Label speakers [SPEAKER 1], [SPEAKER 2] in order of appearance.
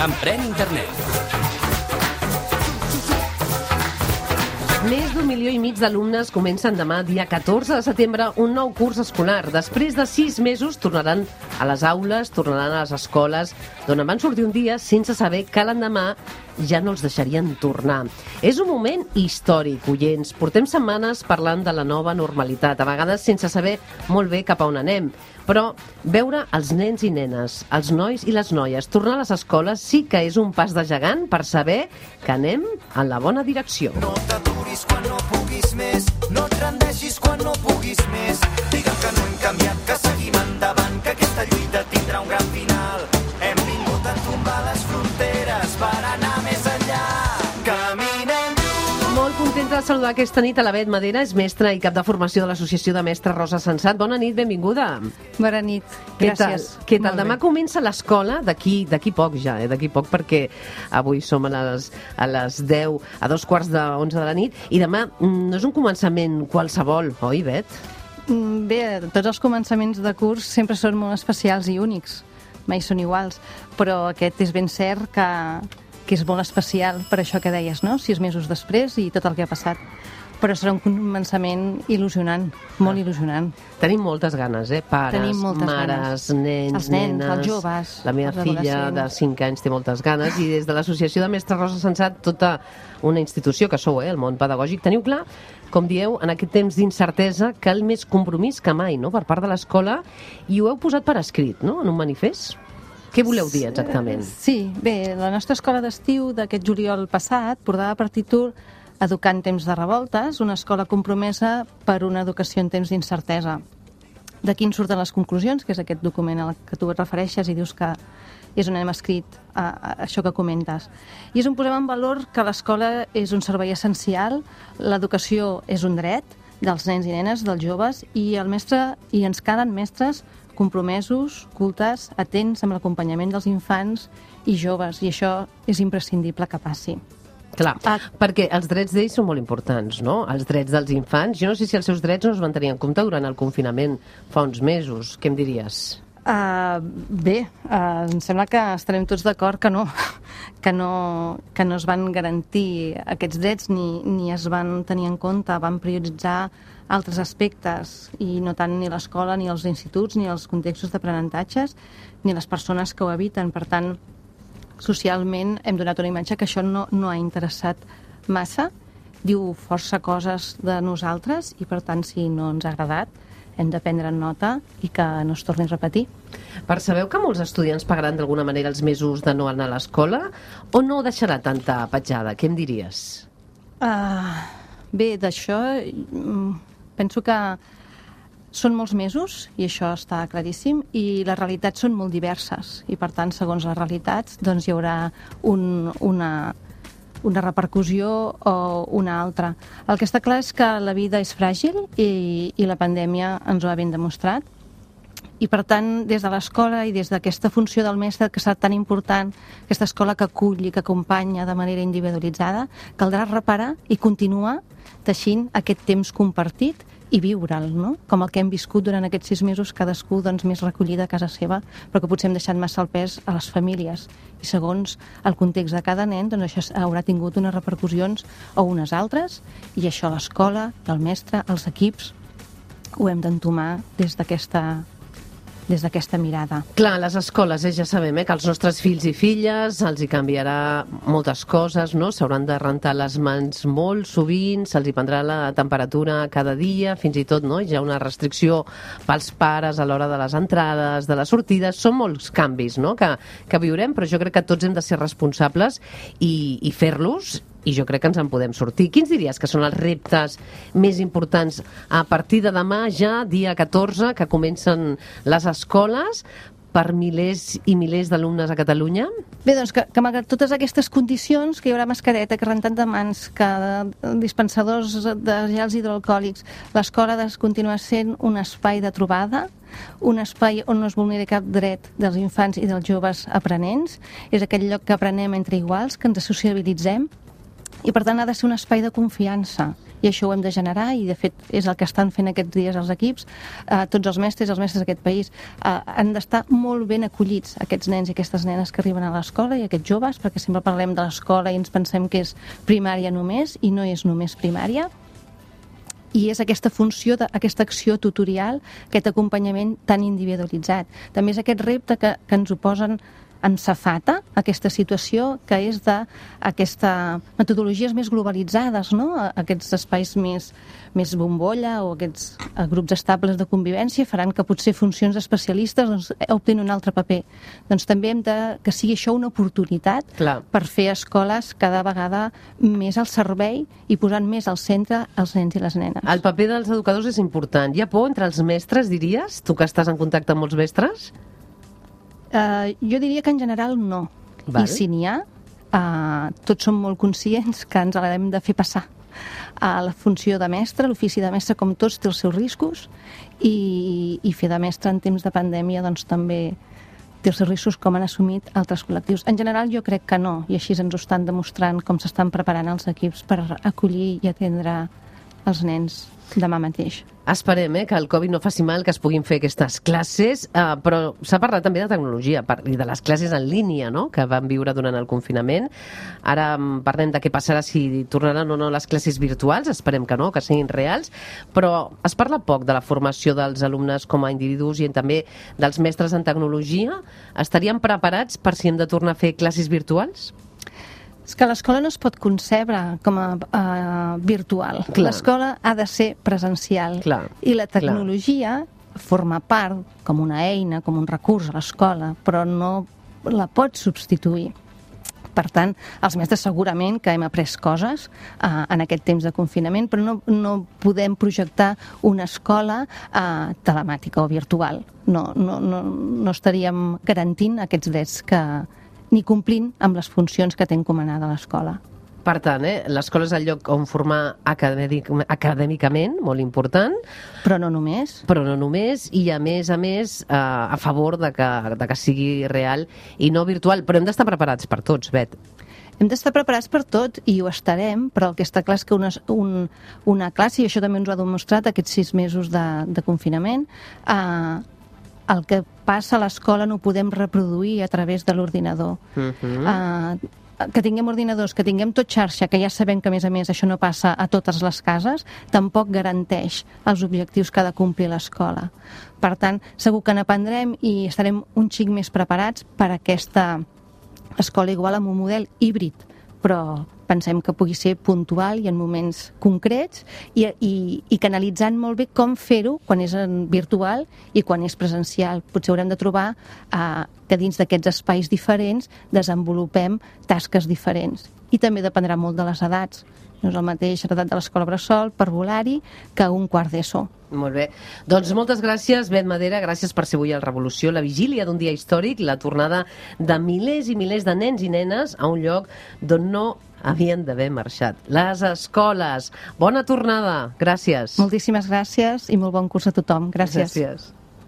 [SPEAKER 1] Emprèn Internet.
[SPEAKER 2] Més d'1,5 milió d'alumnes comencen demà, dia 14 de setembre, un nou curs escolar. Després de 6 mesos tornaran a les aules, tornaran a les escoles, d'on van sortir un dia sense saber que l'endemà ja no els deixarien tornar. És un moment històric, oients. Portem setmanes parlant de la nova normalitat, a vegades sense saber molt bé cap a on anem. Però veure els nens i nenes, els nois i les noies tornar a les escoles sí que és un pas de gegant per saber que anem en la bona direcció.
[SPEAKER 3] No t'aturis quan no puguis més, no et rendeixis quan no puguis més. Digue'm que no hem canviat, que seguim endavant, que aquesta lluita tindrà un gran final. Hem vingut a tombar les fronteres per anar més enllà. Caminem lluny.
[SPEAKER 2] Molt contenta de saludar aquesta nit a la Bet Madera, és mestra i cap de formació de l'Associació de Mestres Rosa Sensat. Bona nit, benvinguda.
[SPEAKER 4] Bona nit, gràcies.
[SPEAKER 2] Què tal? Demà comença l'escola, d'aquí poc ja, d'aquí poc, perquè avui som a les 10, a 11:15 de la nit, i demà no és un començament qualsevol, oi, Bet?
[SPEAKER 4] Bé, tots els començaments de curs sempre són molt especials i únics, mai són iguals, però aquest és ben cert que és molt especial per això que deies, no? 6 mesos després i tot el que ha passat. Però serà un començament il·lusionant, molt il·lusionant.
[SPEAKER 2] Tenim moltes ganes, pares, mares, nens, nenes...
[SPEAKER 4] els joves,
[SPEAKER 2] la meva filla de 5 anys té moltes ganes, i des de l'Associació de Mestres Rosa Sensat, tota una institució que sou, el món pedagògic, teniu clar, com dieu, en aquest temps d'incertesa, cal més compromís que mai, no?, per part de l'escola, i ho heu posat per escrit, no?, en un manifest. Què voleu dir exactament?
[SPEAKER 4] Sí, bé, la nostra escola d'estiu d'aquest juliol passat portava per títol Educar en temps de revoltes, una escola compromesa per una educació en temps d'incertesa. D'aquí en surten les conclusions, que és aquest document al que tu et refereixes i dius que és on hem escrit això que comentes. I és on posem en valor que l'escola és un servei essencial, l'educació és un dret dels nens i nenes, dels joves, i ens calen mestres compromesos, cultes, atents amb l'acompanyament dels infants i joves, i això és imprescindible que passi.
[SPEAKER 2] Clar, perquè els drets d'ells són molt importants, no? Els drets dels infants. Jo no sé si els seus drets no es van tenir en compte durant el confinament fa uns mesos. Què em diries?
[SPEAKER 4] Bé, em sembla que estarem tots d'acord que no es van garantir aquests drets ni es van tenir en compte, van prioritzar altres aspectes, i no tant ni l'escola, ni els instituts, ni els contextos d'aprenentatges, ni les persones que ho habiten. Per tant, socialment hem donat una imatge que això no ha interessat massa, diu força coses de nosaltres, i per tant, si no ens ha agradat, hem de prendre nota i que no es torni a repetir.
[SPEAKER 2] Percebeu que molts estudiants pagaran d'alguna manera els mesos de no anar a l'escola, o no deixarà tanta petjada? Què em diries?
[SPEAKER 4] Bé, d'això penso que són molts mesos, i això està claríssim, i les realitats són molt diverses, i per tant, segons les realitats, doncs hi haurà una repercussió o una altra. El que està clar és que la vida és fràgil i la pandèmia ens ho ha ben demostrat, i per tant, des de l'escola i des d'aquesta funció del mestre que serà tan important, aquesta escola que acull i que acompanya de manera individualitzada, caldrà reparar i continuar teixint aquest temps compartit i viure'l, no? Com el que hem viscut durant aquests 6 mesos, cadascú doncs, més recollida a casa seva, però que potser hem deixat massa el pes a les famílies. I segons el context de cada nen, doncs això haurà tingut unes repercussions o unes altres, i això l'escola, el mestre, els equips, ho hem d'entomar des d'aquesta mirada.
[SPEAKER 2] Clar, a les escoles ja sabem que els nostres fills i filles els hi canviarà moltes coses, no? S'hauran de rentar les mans molt sovint, se'ls hi prendrà la temperatura cada dia, fins i tot, no? Hi ha una restricció pels pares a l'hora de les entrades, de les sortides. Són molts canvis, no?, que viurem, però jo crec que tots hem de ser responsables i fer-los, i jo crec que ens en podem sortir. Quins diries que són els reptes més importants a partir de demà, ja, dia 14, que comencen les escoles, per milers i milers d'alumnes a Catalunya?
[SPEAKER 4] Bé, doncs que malgrat totes aquestes condicions, que hi haurà mascareta, que rentat de mans, que dispensadors de gels hidroalcohòlics, l'escola ha de continuar sent un espai de trobada, un espai on no es vulneri cap dret dels infants i dels joves aprenents, és aquell lloc que aprenem entre iguals, que ens sociabilitzem, i per tant ha de ser un espai de confiança, i i això ho hem de generar, i de fet és el que estan fent aquests dies els equips. Tots els mestres d'aquest país han d'estar molt ben acollits, aquests nens i aquestes nenes que arriben a l'escola i aquests joves, perquè sempre parlem de l'escola i ens pensem que és primària només, i no és només primària. I és aquesta funció, aquesta acció tutorial, aquest acompanyament tan individualitzat. També és aquest repte que ens ho posen en safata, aquesta situació, que és d'aquestes metodologies més globalitzades, no? Aquests espais més bombolla o aquests grups estables de convivència faran que potser funcions especialistes optin un altre paper. Doncs també hem que sigui això una oportunitat per fer escoles cada vegada més al servei i posant més al centre els nens i les nenes.
[SPEAKER 2] El paper dels educadors és important. Hi ha por entre els mestres, diries? Tu que estàs en contacte amb molts mestres?
[SPEAKER 4] Jo diria que en general no. I si n'hi ha, tots som molt conscients que ens l'hem de fer passar. La funció de mestre, l'ofici de mestre, com tots, té els seus riscos, i fer de mestre en temps de pandèmia doncs també té els seus riscos, com han assumit altres col·lectius. En general jo crec que no, i així ens ho estan demostrant com s'estan preparant els equips per acollir i atendre els nens demà mateix.
[SPEAKER 2] Esperem que el Covid no faci mal, que es puguin fer aquestes classes, però s'ha parlat també de tecnologia i de les classes en línia, no?, que vam viure durant el confinament. Ara parlem de què passarà, si tornaran o no les classes virtuals, esperem que no, que siguin reals, però es parla poc de la formació dels alumnes com a individus i també dels mestres en tecnologia. Estaríem preparats per si hem de tornar a fer classes virtuals?
[SPEAKER 4] És que l'escola no es pot concebre com a virtual. L'escola ha de ser presencial. I la tecnologia forma part com una eina, com un recurs a l'escola, però no la pot substituir. Per tant, els mestres segurament que hem après coses en aquest temps de confinament, però no podem projectar una escola telemàtica o virtual. No estaríem garantint aquests drets ni complint amb les funcions que té encomanada l'escola.
[SPEAKER 2] Per tant, l'escola és el lloc on formar acadèmicament, molt important.
[SPEAKER 4] Però no només.
[SPEAKER 2] I a més, a favor de que sigui real i no virtual. Però hem d'estar preparats per tots, Bet.
[SPEAKER 4] Hem d'estar preparats per tot, i ho estarem, però el que està clar és que una classe, i això també ens ho ha demostrat aquests 6 mesos de confinament, el que passa a l'escola no ho podem reproduir a través de l'ordinador. Que tinguem ordinadors, que tinguem tot xarxa, que ja sabem que, a més, això no passa a totes les cases, tampoc garanteix els objectius que ha de complir l'escola. Per tant, segur que n'aprendrem i estarem un xic més preparats per a aquesta escola igual amb un model híbrid, però pensem que pugui ser puntual i en moments concrets, i canalitzant molt bé com fer-ho quan és virtual i quan és presencial. Potser haurem de trobar que dins d'aquests espais diferents desenvolupem tasques diferents. I també dependrà molt de les edats. No és el mateix l'edat de l'escola bressol per volar-hi que un quart d'ESO.
[SPEAKER 2] Molt bé. Doncs moltes gràcies, Bet Madera, gràcies per ser avui al Revolució, la vigília d'un dia històric, la tornada de milers i milers de nens i nenes a un lloc d'on no havien d'haver marxat. Les escoles. Bona tornada. Gràcies.
[SPEAKER 4] Moltíssimes gràcies i molt bon curs a tothom. Gràcies.
[SPEAKER 2] Gràcies.